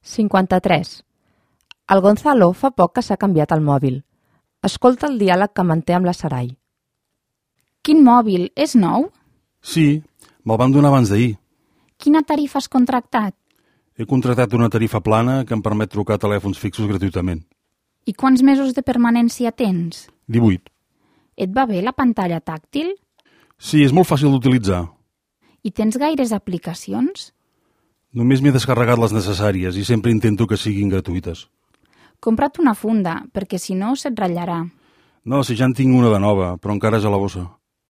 53. El Gonzalo fa poc que s'ha canviat el mòbil. Escolta el diàleg que manté amb la Sarai. Quin mòbil? És nou? Sí, me'l van donar abans d'ahir. Quina tarifa has contractat? He contractat una tarifa plana que em permet trucar a telèfons fixos gratuïtament. I quants mesos de permanència tens? 18. Et va bé la pantalla tàctil? Sí, és molt fàcil d'utilitzar. I tens gaires aplicacions? Només m'he descarregat les necessàries i sempre intento que siguin gratuïtes. Compra't una funda, perquè si no se't ratllarà. No, si ja en tinc una de nova, però encara és a la bossa.